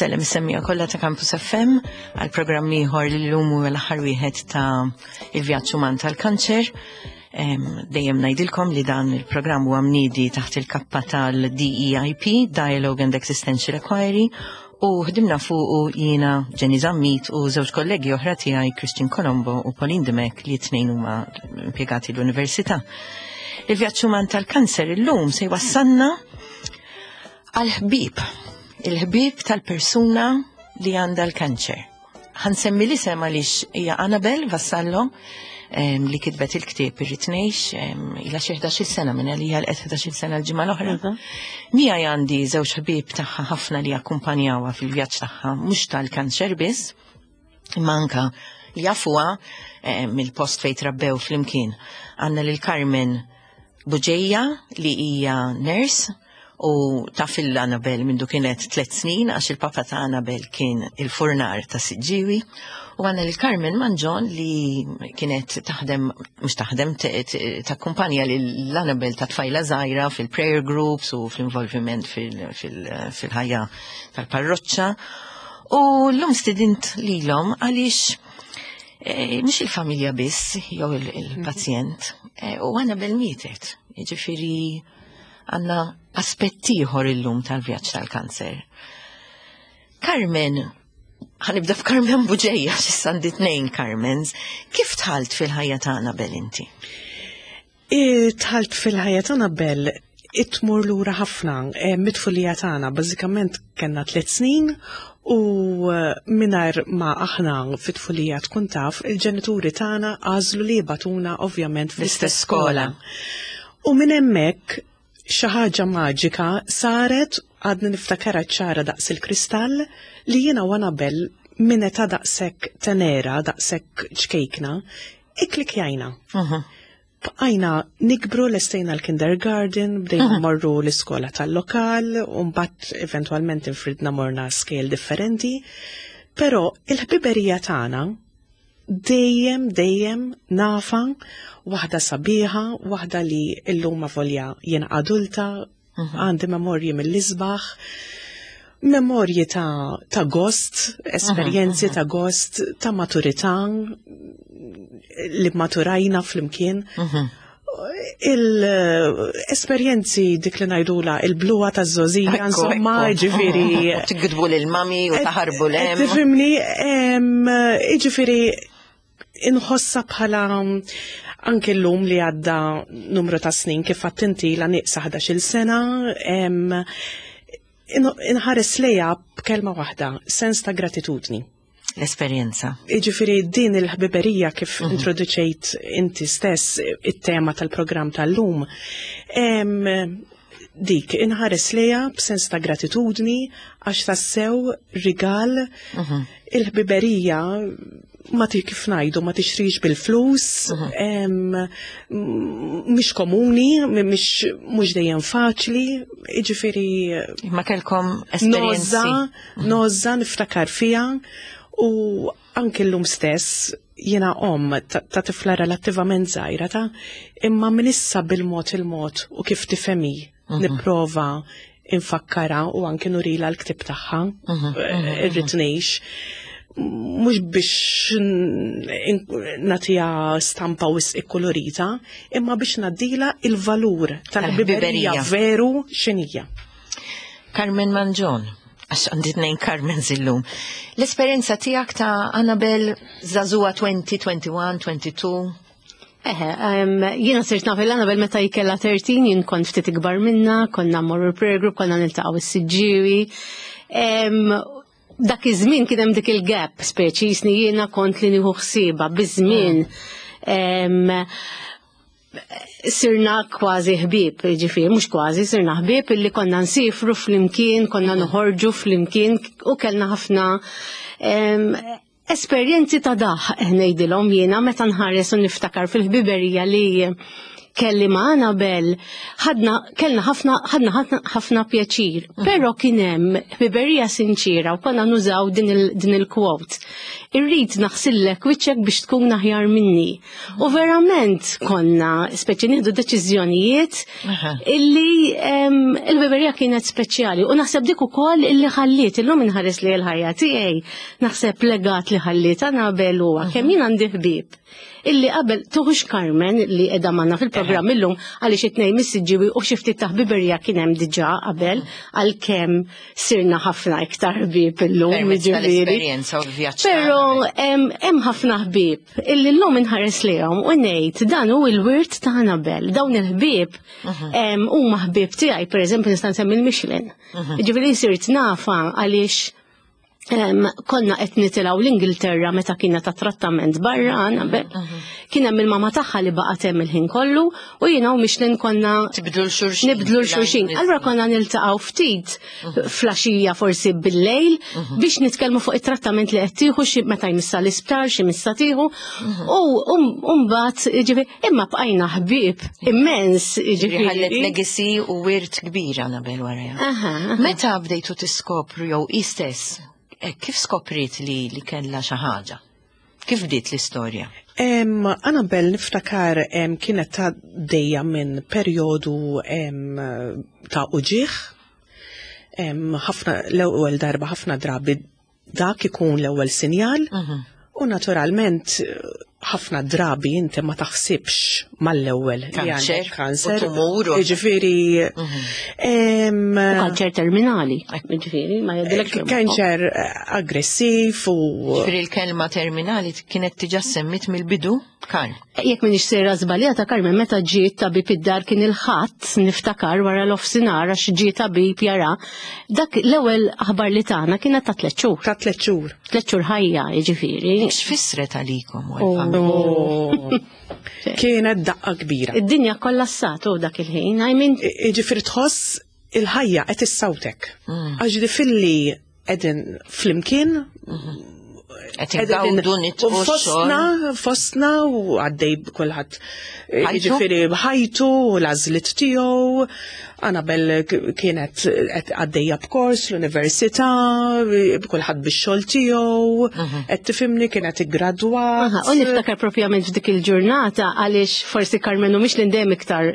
Nsellem is-semmija kollha ta' Campus FM għal programm ieħor li llum huwa l-aħħar wieħed ta' il-vjaġġ uman tal-kanċer. Dejjem ngħidilkom li dan il-programm huwa mniedi taħt il-kappa tal-DEIP, Dialogue and Existential Inquiry, u ħdimna fuqu jiena Jenny Zammit u żewġ kollegi oħra tiegħi Christian Colombo u Pauline Dimech li t-tnejn huma impjegati l-Università. Il-vjaġġ uman tal-kanser illum se jwassalna għal-ħbieb, il-ħbieb tal-persuna li għandha l-kanċer. Ħansemmi l-isem għaliex hija Annabel Vassallo li kitbet il-ktieb Irrid Ngħix ilha xi 11-il sena minn għalija l qed 11-il sena l-ġimgħa l-oħra. Miegħi għandi żewġ ħbieb tagħha ħafna li akkumpanjawha fil-vjaġġ tagħha mhux tal-kanċer biss, imma anka li jafuha mill-post fejn trabbew flimkien. Għandna lil Carmen Buġeja li hija nurse u taf il Annabel mindu kienet tlet snin għax il-papa ta' Annabel kien il-furnar ta' Siġġiwi u għanna lil Carmen Manġon li kienet taħdem, mux taħdem, takkumpanja lil Annabel ta' tfajla żgħira fil-prayer groups u fl-involviment fil-ħajja tal-parroċċa. U l-lum stidint lilhom għaliex eh, mhux il-familja biss jew il-pazjent eh, u Annabel mietet. Jiġifieri għandna aspett ieħor illum tal-vjaġġ tal-kanser. Carmen, ħanibda f'Carmen Buġeja, x'issa għandi tnejn Carmens, kif tħalt fil-ħajja ta' Annabel inti? Tħalt fil-ħajja ta' Annabel itmur lura ħafna e, mit-tfulija tagħna, bażikament kellna tliet snin u e, mingħajr ma aħna fit-tfulija tkun taf, il-ġenituri tagħna għażlu li jibatuna ovvjament fl-istess skola. U minn hemmhekk xi ħaġa maġika saret għadni niftakarha ċara daqs il-kristall li jiena u Annabel minn età daqshekk tenera, daqshekk ċkejkna, ikklikjajna. Bqajna nikbru lestejna l-kindergarten, bdejna morru l-iskola tal-lokal, u mbagħad eventwalment infridna morna scale differenti, però il-ħbiberija tagħna dejjem dejjem nafa waħda sabiħa, waħda li illum avolja jiena adulta, mhm. għandi memorji mill-isbaħ, memorji ta', ta gost, esperjenzi mhm, ta' mhm. gost, ta' maturità li maturajna flimkien. Il-esperjenzi dik li ngħidula il-bluwa ta' żożija, insomma, ġifieri. Tigdbu lil mami u taħarbu lem. Tifhimni, ġifieri inħossa bħala anke llum li għadda numru ta' snin kif għattinti la nieqsa 11-il sena, inħares lejha b'kelma waħda, sens ta' gratitudni. L-esperjenza. Jiġifieri din il-ħbiberija kif mm -hmm. introduċejt inti stess it-tema tal-programm tal-lum, dik inħares lejha b'sens ta' gratitudni għax tassew rigal mm -hmm. il-ħbiberija ma ti kif ngħidu ma tixtrix bil-flus, mm -hmm. mhix komuni, mhix mhux dejjem faċli, jiġifieri Ma kellkom esperjenzi. Nozza niftakar fiha u anke llum stess jiena omm ta' tifla relattivament żgħira ta' imma minn issa bil-mod il-mod u kif tifhemi mhm. nipprova infakkara u anke nurila l-ktib tagħha mhm, mhm, irrid ngħix mhux biex nagħtiha stampa wisq ikkolorita, imma biex ngħaddila il-valur tal-ħbiberija veru x'inhija. Carmen Manġon, għax għandi tnejn Carmen zillum. L-esperjenza tiegħek ta' Annabel Zazua 20, 21, 22? Eħe, jiena sirt naf il-Annabel meta jkella 13, jien kont ftit ikbar minna, konna mmorru prayer group, konna niltaqgħu s-Siġġiewi. Dak iż-żmien kien hemm dik il-gap speċi jisni jiena kont li nieħu ħsiebha biż-żmien. Sirna kważi ħbieb, ġifieri mhux kważi, sirna ħbieb illi konna nsifru flimkien, konna noħorġu flimkien u kellna ħafna esperjenzi ta' daħ ngħidilhom jiena meta nħares u niftakar fil-ħbiberija li kelli ma' Annabel, ħadna kellna ħafna ħadna ħafna pjaċir, però kien hemm ħbiberija sinċira u konna nużaw din il-quote. "Irrid naħsillek wiċċek biex tkun aħjar minni." U verament konna speċi nieħdu deċiżjonijiet illi il-ħbiberija kienet speċjali u naħseb dik ukoll illi ħalliet illum inħares li l-ħajja tiegħi, naħseb legat li ħalliet Annabel huwa kemm jien għandi ħbieb illi qabel tuħux Carmen li qiegħda magħna fil-programm illum, għaliex it-tnejn mis-Siġġiewi u xi ftit ta' ħbiberija kien hemm diġà qabel, għalkemm sirna ħafna iktar ħbieb illum. Ġifieri. U l-vjaġġ. Però hemm ħafna ħbieb illi llum inħares lejhom u ngħid dan hu l-wirt ta' Annabel. Dawn il-ħbieb huma ħbieb tiegħi, pereżempju nista' nsemmi l-Michelin. Ġifieri sirt nafa għaliex konna qed nitilgħu l-Ingilterra meta kienet ta' trattament barra Annabel. Kien hemm il-mama tagħha li baqgħet hemm il-ħin kollu u jiena u Michelin konna Tibdlu l-xulxin. Nibdlu l-xulxin. Allura konna niltaqgħu ftit filgħaxija, forsi bil-lejl, biex nitkellmu fuq it-trattament li qed tieħu, xi meta jmissa l-isptar, xi missa tieħu. U mbagħad, ġifieri, imma bqajna ħbieb immens, ġifieri. Ħallet legacy u wirt kbir Annabel warajha. Meta bdejtu tiskopru jew istess, kif skopriet li kellha xi ħaġa? Kif bdiet l-istorja? Annabel niftakar kienet ta' dejja minn perjodu ta' uġigħ. Ħafna l-ewwel darba, ħafna drabi dak ikun l-ewwel sinjal. U naturalment ħafna drabi inti ma taħsibx mal-ewwel li għandek kanser. U Ġifieri Kanċer terminali, ġifieri, ma jgħidilek. Kanċer aggressiv u Ġifieri l-kelma terminali kienet diġà semmit mill-bidu, Karl. Jekk minix sejra żbaljata, Carmen, meta ġiet tabib id-dar kien il-Ħadd, niftakar wara l-ofsinar, għax ġiet tabib jara, dak l-ewwel aħbar li tagħna kienet ta' 3 xhur. Ta' 3 xhur. 3 xhur ħajja, jiġifieri. X'fissret għalikom u għall-familja? Oh. Kienet daqqa kbira. Id-dinja kollassat u dak il-ħin, I mean, Ġifieri tħoss il-ħajja qed issawtek. Għax di filli qegħdin flimkien Qed ingawdu nitqu u fostna, fostna u għaddej kulħadd Ħajtu? Ġifieri ħajtu, u l-għażliet tiegħu. Annabel kienet qed għaddejja b'kors l-università, kulħadd bix-xogħol tiegħu, qed tifhimni, kienet iggradwat. Aha, u niftakar propjament f'dik il-ġurnata għaliex forsi Carmen u mhix l iktar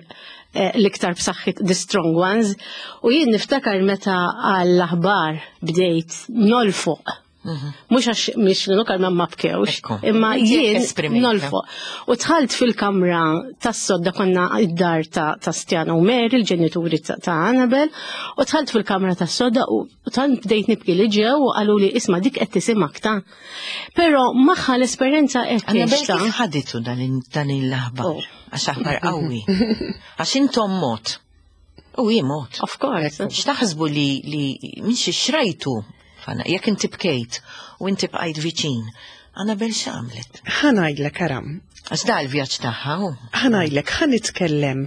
l-iktar b'saħħit, the strong ones, u jien niftakar meta għall-aħbar bdejt nolfoq. Mhux għax mhix l Carmen ma bkewx, imma Inti jien esprimejta. nolfoq. U dħalt fil-kamra tas-sodda, konna id-dar ta' Stjana u Mary, il-ġenituri ta' Annabel, u dħalt fil-kamra tas-sodda u tant bdejt nibki li ġew u qalu li, "Isma', dik qed tisimgħek ta'." Però magħha l-esperjenza qed Annabel tgħixta. kif ħaditu dan il-aħbar? Oh. Għax aħbar qawwi. Għax intom mod. U hi mod. Of course. X'taħsbu li minn xi xrajtu? Fana, jekk inti bkejt u inti bqajt viċin, Annabel x'għamlet? Ħa ngħidlek aram, Għax da l-vjaġġ tagħha hu. Ħa ngħidlek, ħa nitkellem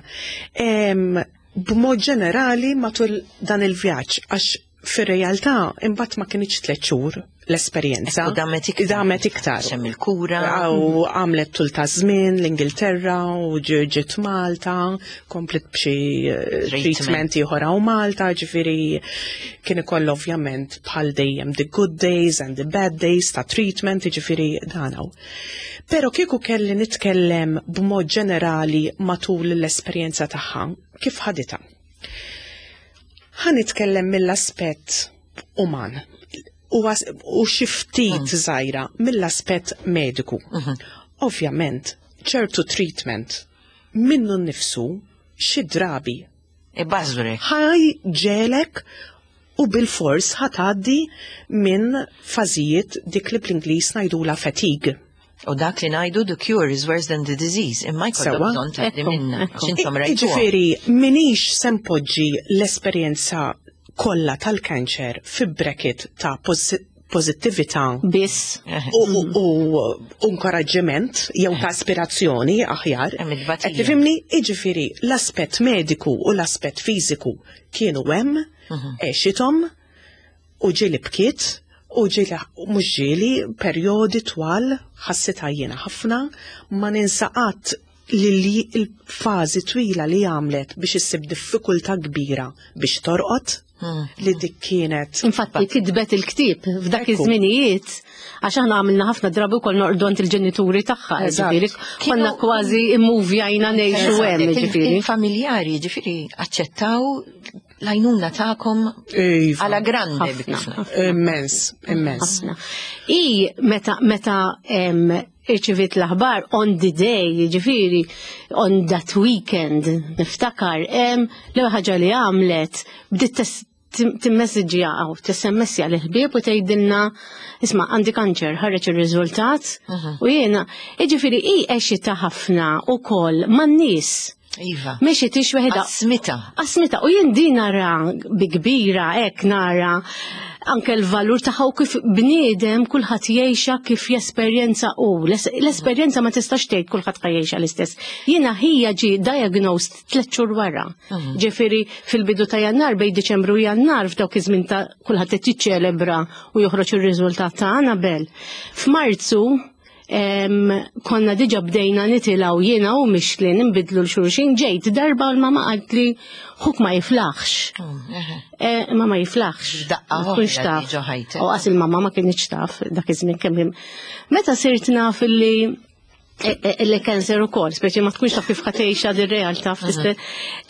b'mod ġenerali matul dan il-vjaġġ, għax fir-realtà imbagħad ma kinitx 3 xhur l-esperjenza. U damet iktar. Damet iktar. Hemm il-kura. U għamlet tul ta' żmien l-Ingilterra u ġiet Malta, komplet b'xi Treatment. treatment ieħor hawn Malta, ġifieri kien ikoll ovvjament bħal dejjem the good days and the bad days ta' treatment, ġifieri dan hawn. Però kieku kelli nitkellem b'mod ġenerali matul l-esperjenza tagħha, kif ħaditha? Ħa nitkellem mill-aspett uman u xi ftit żgħira mill-aspett mediku. Ovvjament, ċertu treatment minnu nnifsu xi drabi Ibażwrek. ħa jġegħlek u bil-fors ħa tgħaddi minn fażijiet dik li bl-Ingliż ngħidula fatigue. U dak li ngħidu "the cure is worse than the disease", imma jkollok bżonn tgħaddi minna. Ekku. Għax intom rajtuha. Ġifieri, minix se npoġġi l-esperjenza kollha tal-kanċer fi bracket ta' pożittività Biss. u inkoraġġiment jew ta' aspirazzjoni aħjar. Hemm it-tbatija. Qed tifhimni? Jiġifieri l-aspett mediku u l-aspett fiżiku kienu hemm, għexithom u ġieli bkiet u ġieli mhux ġieli perjodi twal ħassitha jiena ħafna ma ninsa qatt li li l-fażi twila li għamlet biex issib diffikultà kbira biex torqod li dik kienet Infatti kitbet il-ktieb f'dak Ekku. iż-żminijiet għax aħna għamilna ħafna drabi wkoll norqdu għand il-ġenituri tagħha, Eżatt. ġifieri konna kważi immuvjajna ngħixu hemm, ġifieri. Il-familjari ġifieri aċċettaw l-għajnuna tagħkom Iva. għala grande Ħafna, biex ngħid. Immens, immens. Ħafna. I meta meta em, irċivit l-aħbar on the day, ġifieri, on that weekend, niftakar, l-ewwel ħaġa li għamlet, bdiet timmessġja għaw, t-sms l-ħbieb u tgħidilna, isma' għandi kanċer, ħareġ ir-riżultat, u jiena, jiġifieri i għexitha ħafna ukoll man-nies. Iva. Mexi tix weħda. Asmita. Asmita, u jien din nara bi kbira, hekk nara anke l-valur tagħha u kif bniedem kulħadd jgħixha kif jesperjenza u. L-esperjenza ma tistax tgħid kulħadd ħa jgħixha l-istess. Jiena ħija ġie diagnosed tliet xhur wara. Ġifieri fil-bidu ta' Jannar bejn Diċembru u Jannar f'dawk iż-żmien ta' kulħadd qed jiċċelebra u joħroġ ir-riżultat ta' Annabel. F'Marzu konna diġa bdejna nitilgħu jiena u Mixlin nbidlu l-xulxin ġejt darba u l-mama qalt li ħuk ma jiflaħx. Ma ma jiflaħx. Daqqa Ma tkunx oħra taf. li ġo ħajtek. U qas il-mama ma kienx taf dak iż-żmien kemm hemm. Meta sirt naf illi li cancer ukoll, speċi ma tkunx taf kif ħa tgħixha dir-realtà fl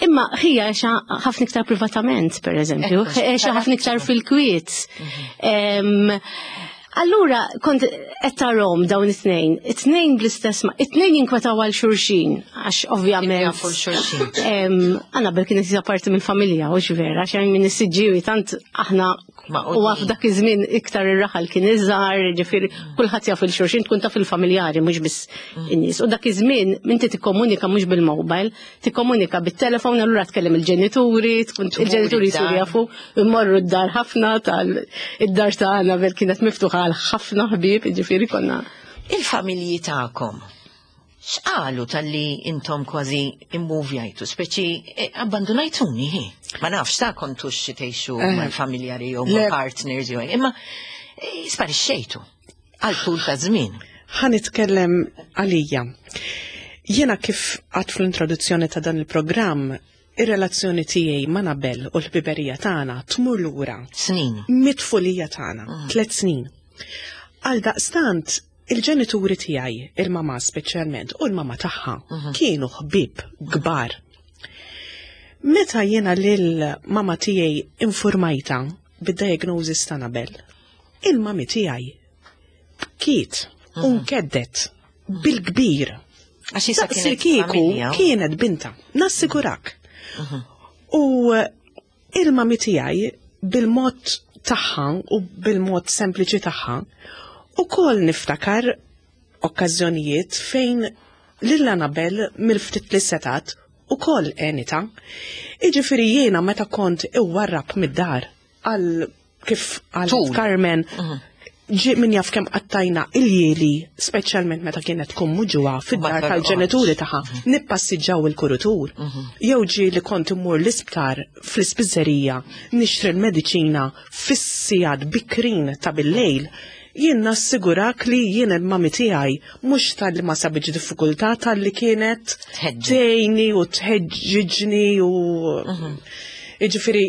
Imma ħija għexa ħafna iktar privatament, per eżempju, Ekku, għexa ħafna iktar fil-kwiet. Allura, kont qed tarahom dawn it-tnejn, it-tnejn bl-istess ma, it-tnejn jinkwetaw għal xulxin, għax ovvjament. Jafu l-xulxin. Annabel kienet hija parti mill-familja, u vera, għax minn is-Siġġiewi tant aħna Maqudin. u għaf dak iż-żmien iktar ir-raħal kien iżgħar, ġifieri kulħadd jaf il-xulxin, tkun taf il-familjari mhux biss in-nies. U dak iż-żmien inti tikkomunika mhux bil-mobile, tikkomunika bit-telefon, allura tkellem il-ġenituri, tkun il-ġenituri id-dar. jsiru jafu, immorru d-dar ħafna tal id-dar ta' Annabel kienet miftuħa għal ħafna ħbieb, ġifieri konna. Il-familji tagħkom. X'qalu talli intom kważi immuvjajtu, speċi abbandonajtuni, hi? Ma nafx ta' kontux xi tgħixu mal-familjari jew Le. mal-partners jew imma sparixxejtu għal tul ta' żmien. Ħa nitkellem għalija. Jiena kif għad fl-introduzzjoni ta' dan il-programm, ir-relazzjoni tiegħi ma' Annabel u l-ħbiberija tagħna tmur lura Snin. mit-tfulija tagħna, 3 snin. Għal daqstant, il-ġenituri tiegħi, il-mama speċjalment u l-mama tagħha, kienu ħbieb kbar. Meta jiena lil mama tiegħi informajta bid-diagnosis ta' Annabel, il-mami tiegħi bkiet u nkeddet bil-kbir. Għax issa Daqs kienet kieku familja. kienet binta, nassigurak. U il-mami tiegħi bil-mod tagħha u bil-mod sempliċi tagħha ukoll niftakar okkażjonijiet fejn lil Annabel mill-ftit li setat ukoll għenitha. Iġifieri jiena meta kont iwarrab mid-dar għal kif għal Tul. Carmen ġi min jaf kemm qattajna il-jieli, speċjalment meta kienet tkun muġugħa fid-dar Ma tal-ġenituri tagħha, nippassiġġaw il-kurutur. Jew ġi li kont immur l-isptar fl-ispiżerija, nixtri l-mediċina fis-sigħat bikrin ta' bil-lejl, jien nassigurak li jien il-mami tiegħi mhux talli ma sabitx diffikultà talli kienet Tħeġġeġ. tgħinni u tħeġġiġni u jiġifieri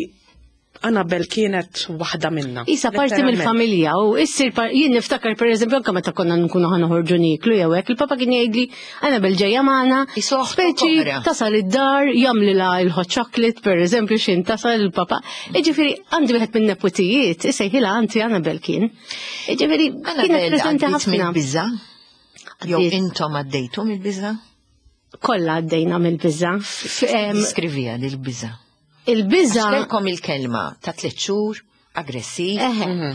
Annabel kienet waħda minna. Isa parti Letteralment. mill-familja u issir jien niftakar per eżempju anke meta konna nkunu ħa noħorġu nieklu jew hekk, il-papa kien jgħidli Annabel ġejja magħna, Isu oħtu speċi oħra. tasal id-dar jagħmlilha il-hot chocolate per eżempju xin tasal il-papa. Jiġifieri għandi wieħed minn neputijiet, isejħilha anti Annabel kien. Jiġifieri kienet Annabel preżenti għaddiet ħafna. mill-biża? Jew Għaddiet. intom għaddejtu mill-biża? Kollha għaddejna mill-biża. Diskrivija lil-biża. Il-biża Għax il-kelma ta' 3 xhur, aggressiv,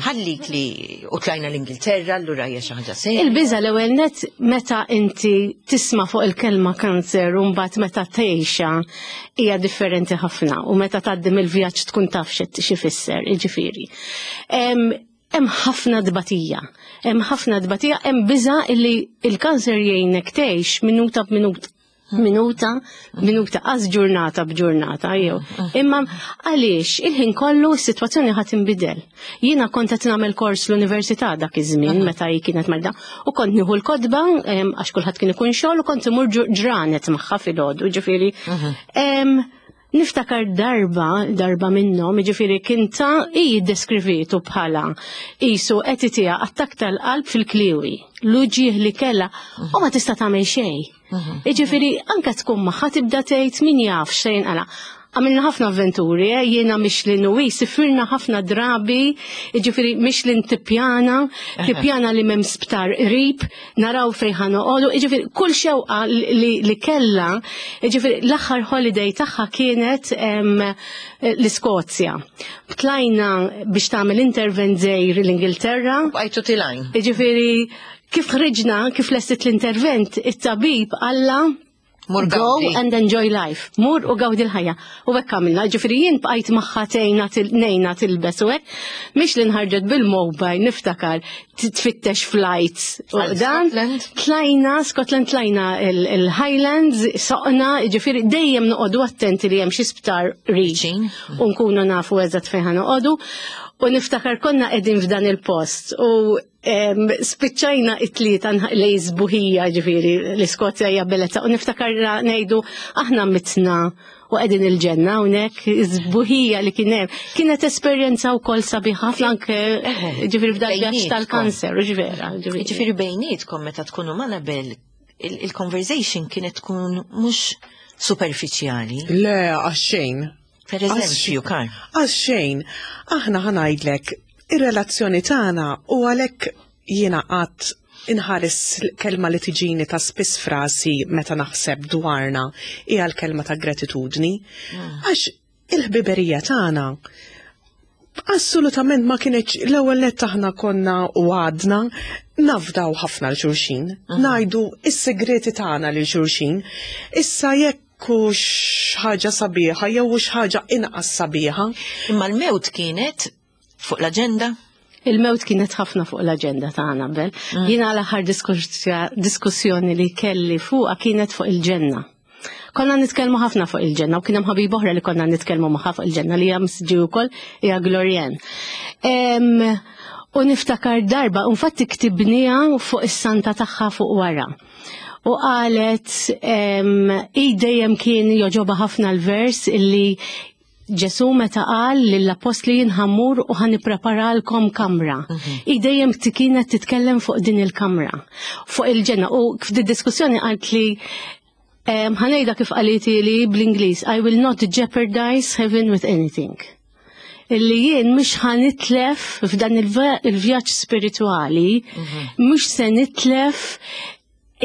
ħallik li u tlajna l-Ingilterra, allura hija xi ħaġa serja. Il-biża l-ewwel net meta inti tisma' fuq il-kelma kanser u mbagħad meta tgħixha hija differenti ħafna u meta tgħaddi mill-vjaġġ tkun taf xi fisser, jiġifieri. Hemm ħafna dbatija. Hemm ħafna dbatija, hemm biża illi il-kanser jgħinek tgħix minuta b'minuta. Minuta, minuta, qas ġurnata b'ġurnata, jew. Imma għaliex il-ħin kollu s-sitwazzjoni ħa tinbidel. Jiena kont qed nagħmel kors l-università dak iż-żmien meta hi kienet marda u kont nieħu l-kotba għax kulħadd kien ikun xogħol u kont imur ġranet magħha filgħodu, ġifieri. Niftakar darba, darba minnhom, jiġifieri kien ta' hi ddeskrivietu bħala qisu qed itiha attakk tal-qalb fil-kliewi, l-uġigħ li kellha u ma tista' tagħmel xejn. Jiġifieri anke tkun magħha tibda tgħid min jaf x'se jinqala'. Għamilna ħafna avventuri, eh? Jiena Michelin u hi sifirna ħafna drabi, jiġifieri Michelin tippjana, tippjana li m'hemm sptar qrib, naraw fejn ħa noqogħdu, jiġifieri kull xewqa li, li kellha, jiġifieri l-aħħar holiday tagħha kienet l-Iskozja. Tlajna biex tagħmel intervent żgħir l-Ingilterra. Bqajtu tilgħin. Jiġifieri kif ħriġna, kif lestit l-intervent, it-tabib qalla Mur Go gawdi. and enjoy life. Mur u gawdi l-ħajja. U hekk għamilna, ġifieri jien bqajt magħha tgħinha ngħinha tilbes u hekk. Mhix li nħarġet bil-mobile niftakar tfittex flights. U Għal dan Scotland? tlajna, Scotland tlajna il-Highlands, soqna, ġifieri dejjem noqogħdu attenti li hemm xi sptar qrib. Viċin. U nkunu nafu eżatt fejn ħa noqogħdu. U niftakar konna qegħdin f'dan il-post u spiċċajna it-tlieta lej sbuħija, ġifieri l-Iskozja hija bellezza, u niftakar ngħidu aħna mitna u qegħdin il-ġenna hawnhekk, sbuħija li kien hemm. Kienet esperjenza wkoll sabiħa ħafna anke ġifieri f'dak vjaġġ Bejnietkom. tal-kanser, u ġvera, ġifieri. Ġifieri bejnietkom meta tkunu ma' Annabel, il-conversation kienet tkun mhux superfiċjali. Le, għax-xejn. Per eżempju, Karl. Għax-xejn, aħna ħa ngħidlek, ir-relazzjoni tagħna u għalhekk jiena qatt inħares kelma li tiġini ta' spiss frasi meta naħseb dwarna hija l-kelma ta' gratitudni. Għax il-ħbiberija tagħna assolutament ma kienx l-ewwel nett aħna konna u għadna nafdaw ħafna lil xulxin, ngħidu is-segreti tagħna lil xulxin. Issa jekk hux ħaġa sabiħa jew hux ħaġa inqas sabiħa. Imma l-mewt kienet fuq l-aġenda? Il-mewt kienet ħafna fuq l-aġenda ta' Annabel. Jiena l-aħħar diskussjoni li kelli fuqha kienet fuq il-ġenna. Konna nitkellmu ħafna fuq il-ġenna u kien hemm ħabib oħra li konna nitkellmu magħha fuq il-ġenna li hija msġi wkoll hija Glorian. U niftakar darba, infatti ktibniha fuq is-santa tagħha fuq wara. U qalet i dejjem kien joġoba ħafna l-vers illi Ġesu meta qal lill-apostli jien ħa mmur u ħa nippreparalkom kamra. I dejjem kienet titkellem fuq din il-kamra, fuq il-ġenna. U f'di diskussjoni qalt li ħa ngħidha kif qaliti li bl-Ingliż, I will not jeopardize heaven with anything. Illi jien mhux ħa nitlef f'dan il-vjaġġ spirituali, mhux se nitlef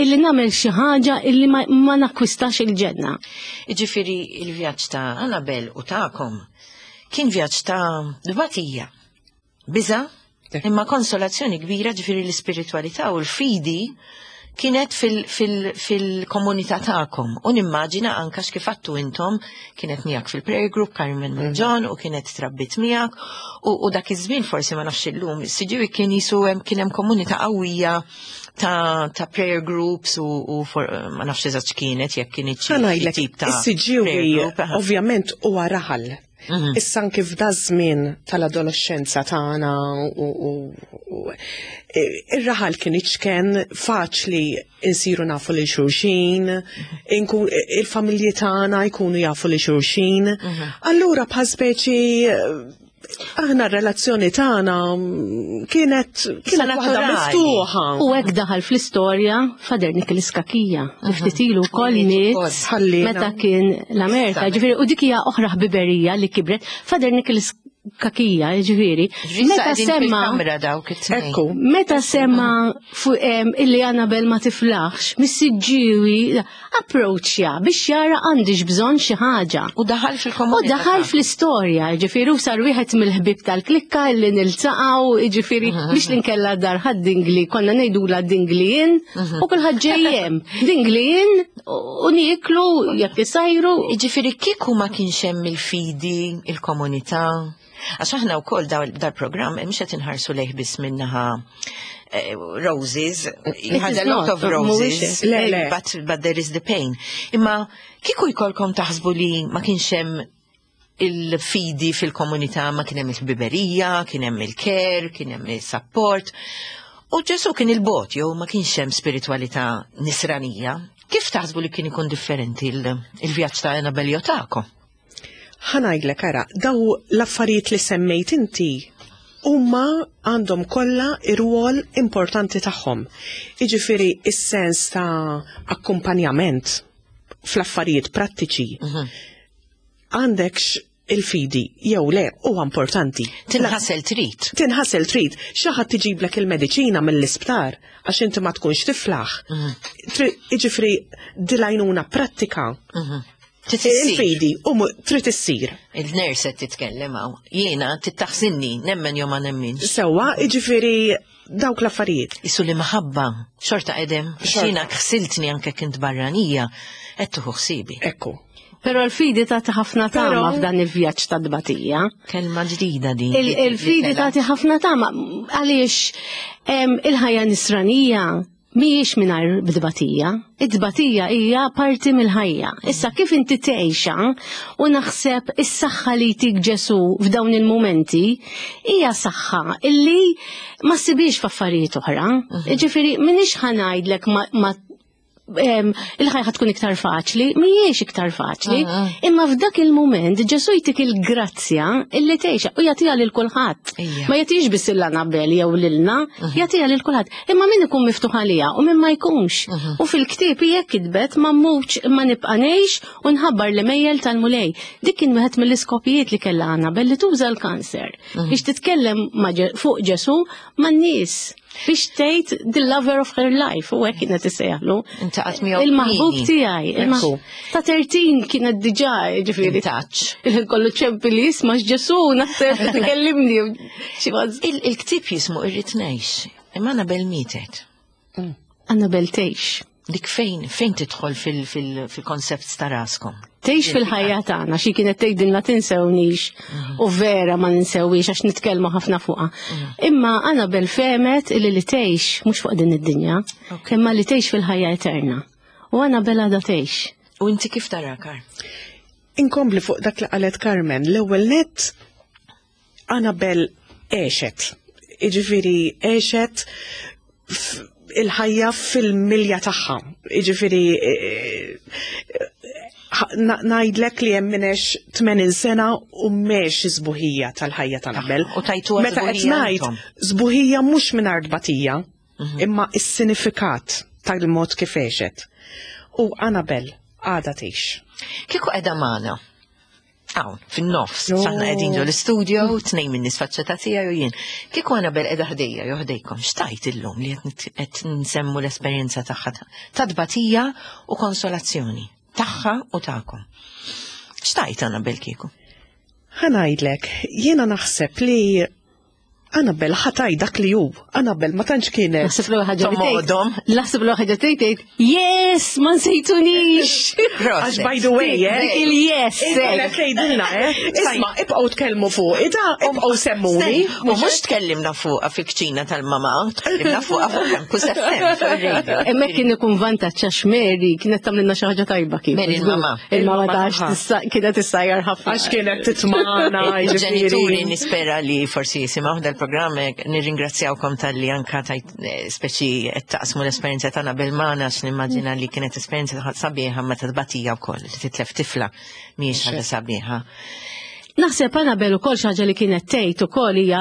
illi nagħmel xi ħaġa illi ma nakkwistax il-ġenna. Jiġifieri il-vjaġġ ta' Annabel u ta'kom kien vjaġġ ta' dbatija, biża, imma konsolazzjoni kbira, ġifieri l-ispiritualità u l-fidi kienet fil-komunità ta'kom. U nimmaġina anka x'kif għattu intom kienet miegħek fil-prayer group Carmen John u kienet trabbit miegħek u dak iż-żmien forsi ma nafx illum, Siġġiewi kien jisu hemm kien hemm komunità qawwija ta' prayer groups u ma nafx eżatt x'kienet jekk kienet xi Ħa ngħidlek, tip ta' is-Siġġiewi prayer group, aha. ovvjament huwa raħal. Issa anke f'da żmien tal-adolescenza tagħna u ir-raħal kien iċken faċli insiru nafu lil xulxin, il-familji tagħna jkunu jafu lil xulxin. Allura bħal speċi aħna r-relazzjoni tagħna kienet waħda naturali. miftuħa. U hekk daħal fl-istorja Father Nicholas Cachia, li ftit ilu wkoll miet Ħallina. meta kien l-Amerika. Ġifieri, u dik hija oħra ħbiberija li kibret. Father Nicholas Cachia, ġifieri, meta semma kamra dawk it-tnejn. Ekku. Meta sema fuq illi Annabel ma tiflaħx, mis-Siġġiewi approachja biex jara għandix bżonn xi ħaġa. U daħal U fil-komunità. daħal fl-istorja, ġifieri, u sar wieħed mill-ħbib tal-klikka illi niltaqgħu, ġifieri, biex li nkella dar ħad dingli, konna ngħidula dinglijin, u kulħadd ġejjem. Dinglijin u nieklu jekk isajru. Ġifieri kieku ma kienx hemm il-fidi, il-komunità. Għax aħna wkoll dal-programm mhux qed inħarsu lejh biss minnaħa eh, roses, you had a lot of roses, Le, le. But, but there is the pain. Imma kieku jkollkom taħsbu li ma kienx hemm il-fidi fil-komunità, ma kien hemm il-ħbiberija, kien hemm il-care, kien hemm il-support. U Ġesu kien il-bot, jew ma kienx hemm spiritualità nisranija. Kif taħsbu li kien ikun differenti il-vjaġġ ta' Annabel jew tagħkom? Ħa ngħidlek ara, daw l-affarijiet li semmejt inti huma għandhom kollha ir-rwol importanti tagħhom. Jiġifieri is-sens ta' akkumpanjament fl-affarijiet prattiċi. Għandekx il-fidi jew le huwa importanti. Tinħasel trid. Tinħasel trid, xi ħadd iġiblek il-mediċina mill-isptar għax inti ma tkunx tiflaħ. Jiġifieri dil-għajnuna prattika. Trid issir. Il-fidi u trid issir. Il-nurse qed titkellem hawn. Jiena tittaħsinni, nemmen jew ma nemminx. Sewwa, jiġifieri dawk l-affarijiet. Isu li maħabba, xorta qedem, Xorta. jiena ħsiltni anke kint barranija, qed tuħu ħsibi. Ekku. Però l-fidi tagħti ħafna tama Però- f'dan il-vjaġġ ta' tbatija. Kelma ġdida din. Il-fidi tagħti ħafna tama għaliex il-ħajja nisranija mhijiex mingħajr tbatija. It-tbatija hija parti mill-ħajja. Issa kif inti tgħixha u naħseb is-saħħa li jtik Ġesu f'dawn il-mumenti hija saħħa illi ma ssibix f'affarijiet oħra. Ġifieri m'iniex ħa ngħidlek ma il-ħajja ħa tkun iktar faċli, mhijiex iktar faċli, imma f'dak il-moment Ġesu jtik il-grazzja illi tgħixha u jagħtiha lil kulħadd. Ma jagħtix biss lil Annabel jew lilna, jagħtiha lil kulħadd. Imma min ikun miftuħ għaliha u min ma jkunx. U fil-ktieb hija kitbet ma mmutx imma nibqa' ngħix u nħabbar l-għemejjel tal-Mulej. Dik kien wieħed mill-iskopijiet li kellha Annabel li tuża l-kanser biex titkellem fuq Ġesu man-nies. Biex tgħid the lover of her life, u hekk kienet issejjaħlu. Intaqat miegħu Il-maħbub kmieni. tiegħi. Ekku. Ta' 13 kienet diġà, ġifieri. In touch. Il-ħin kollu ċempi li jisma' Ġesu, naħseb tkellimni. Xi ważż. Il-ktieb jismu Irrid Ngħix, imma Annabel mietet. Annabel tgħix. Dik fejn fejn tidħol fil-koncept ta' raskom? Tgħix fil-ħajja tagħna, xi kienet tgħidilna tinsewniex u vera ma ninsewix għax nitkellmu ħafna fuqha. Imma Annabel fehmet illi li tgħix mhux fuq din id-dinja, imma li tgħix fil-ħajja eterna. U Annabel għadha tgħix. U inti kif tara, Kar? Inkompli fuq dak li qalet Carmen, l-ewwel net Annabel għexet. Jiġifieri għexet il-ħajja fil-milja tagħha. Jiġifieri ngħidlek li hemm min għex 80 sena u m'għex sbuħija tal-ħajja ta' Annabel. U tajtuha Meta qed sbuħija ngħid intom. sbuħija mhux mingħajr tbatija, imma is-sinifikat tal-mod kif għexet. U Annabel għadha tgħix. Kieku qiegħda magħna. Hawn, fin-nofs, Jo. aħna qegħdin ġo l-istudio, tnejn minn nies faċċata tiegħi u jien. Kieku Annabel qiegħda ħdejja jew ħdejkom, x'tgħid illum li qed nsemmu l-esperjenza tagħha ta' tbatija u konsolazzjoni tagħha u tagħkom. X'tgħid Annabel kieku? Ħa ngħidlek, jiena naħseb li Annabel ħa tgħid dak li hu. Annabel ma tantx kienet. Naħseb l ħaġa li tgħid. Tomodhom. Naħseb l ħaġa tgħid tgħid, yes, ma nsejtunix. Għax by the way, eh? Dik il-yes. Kienet tgħidilna, eh? Isma' ibqgħu tkellmu fuq, ida ibqgħu semmuni. U mhux tkellimna fuqha fil-kċina tal-mama, tkellimna fuqha fuq Campus FM fuq ir-radio. Hemmhekk kien ikun vantaġġ għax Mary kienet tagħmlilna xi ħaġa tajba kif. Mary il-mama. Il-mama ta' Il-mama għax kienet issajjar ħafna. Għax kienet titmagħna, Il-ġenituri ġifieri. nispera li forsi jisimgħu dal-programm nirringrazzjawkom tal-li anka tajt speċi qed taqsmu l-esperjenza tagħna bil-magħna għax nimmaġina li kienet esperjenza sabiħa ma tbatija wkoll li titlef tifla mhijiex ħaġa sabiħa. Naħseb Annabel ukoll xi ħaġa li kienet tgħid ukoll hija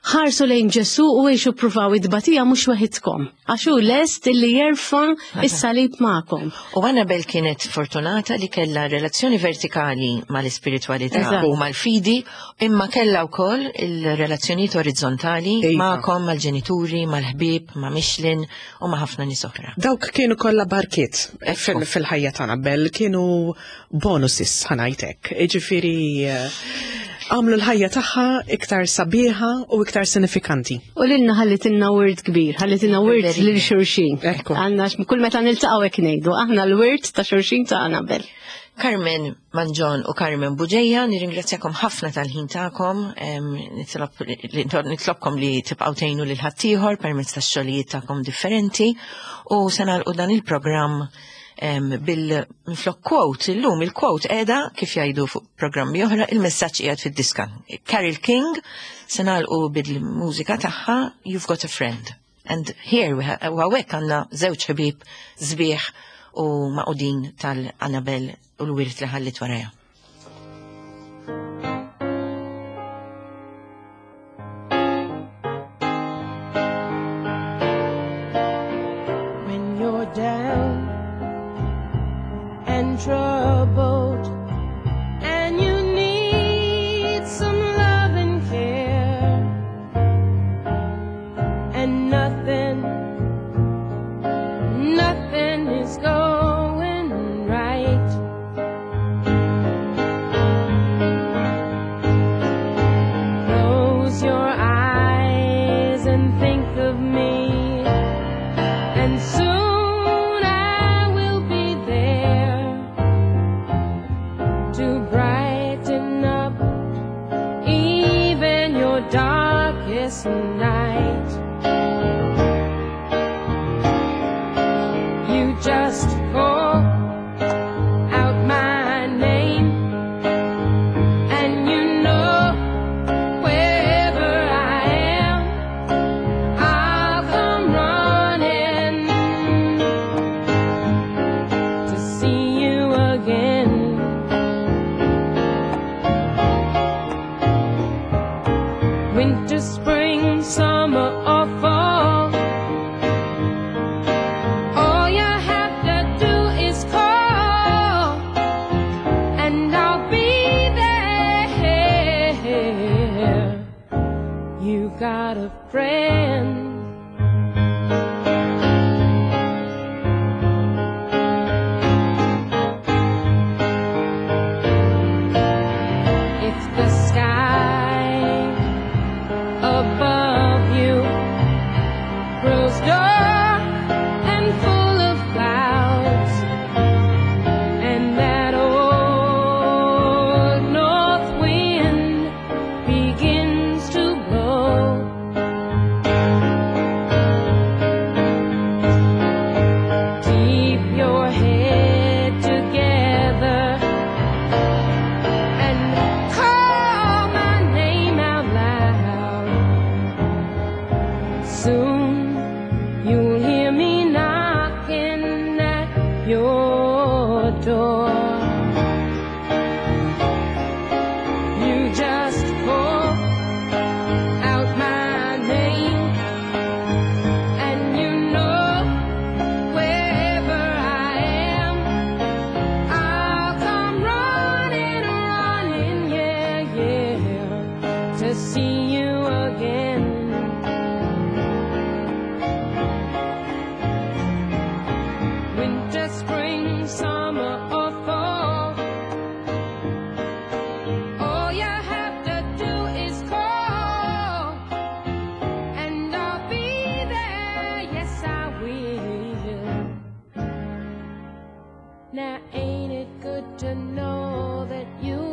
ħarsu lejn Ġesu u għixu pruvaw it-tbatija mhux waħidkom. Għax hu lest illi jerfa' is-salib magħkom. U Annabel kienet fortunata li kella relazzjoni vertikali mal-ispiritualità u mal-fidi, imma kella wkoll il-relazzjonijiet orizzontali magħkom, mal-ġenituri, mal-ħbieb, ma' Michelin u ma' ħafna nies oħra. Dawk kienu kollha barkiet fil-ħajja ta' Annabel, kienu bonuses ħa ngħidlek. Ġifieri Għamlu l-ħajja tagħha iktar sabiħa u iktar sinifikanti. U lilna ħallitilna wirt kbir, ħallitilna wirt lil xulxin. Għandna kull meta niltaqgħu hekk ngħidu, aħna l-wirt ta' xulxin ta' Annabel. Carmen Manġon u Carmen Buġeja, nirringrazzjakom ħafna tal-ħin tagħkom, nitlobkom li tibqgħu tgħinu lil ħaddieħor permezz tax-xogħlijiet tagħkom differenti u se nagħlqu dan il-programm bil-minflok quote, illum il-quote qiegħda kif jgħidu fuq programmi oħra, il-messaġġ qiegħed fid-diska. Carol King se nagħlqu bil-mużika tagħha You've Got a Friend. And here we have, u hawnhekk għandna żewġ ħbieb sbieħ u maqudin tal-Annabel u l-wirt li ħallit warajha. When you're down and troubled and you need some love and care and nothing, nothing is going right. Close your eyes and think of me, and soon I will be there to brighten up even your darkest night. You just call out my name, and you know wherever I am, I'll come running to see you again. Winter, spring, summer, or fall, all you have to do is call, and I'll be there. You got a friend. If the sky above you grows dark and full of clouds, and that old north wind begins to blow, keep your head together and call my name out loud. Soon you'll hear me knocking at your door. You just call out my name, and you know wherever I am, I'll come running, running, yeah, yeah, to see you again. Winter, spring, summer, or fall, all you have to do is call, and I'll be there, yes I will. Now ain't it good to know that you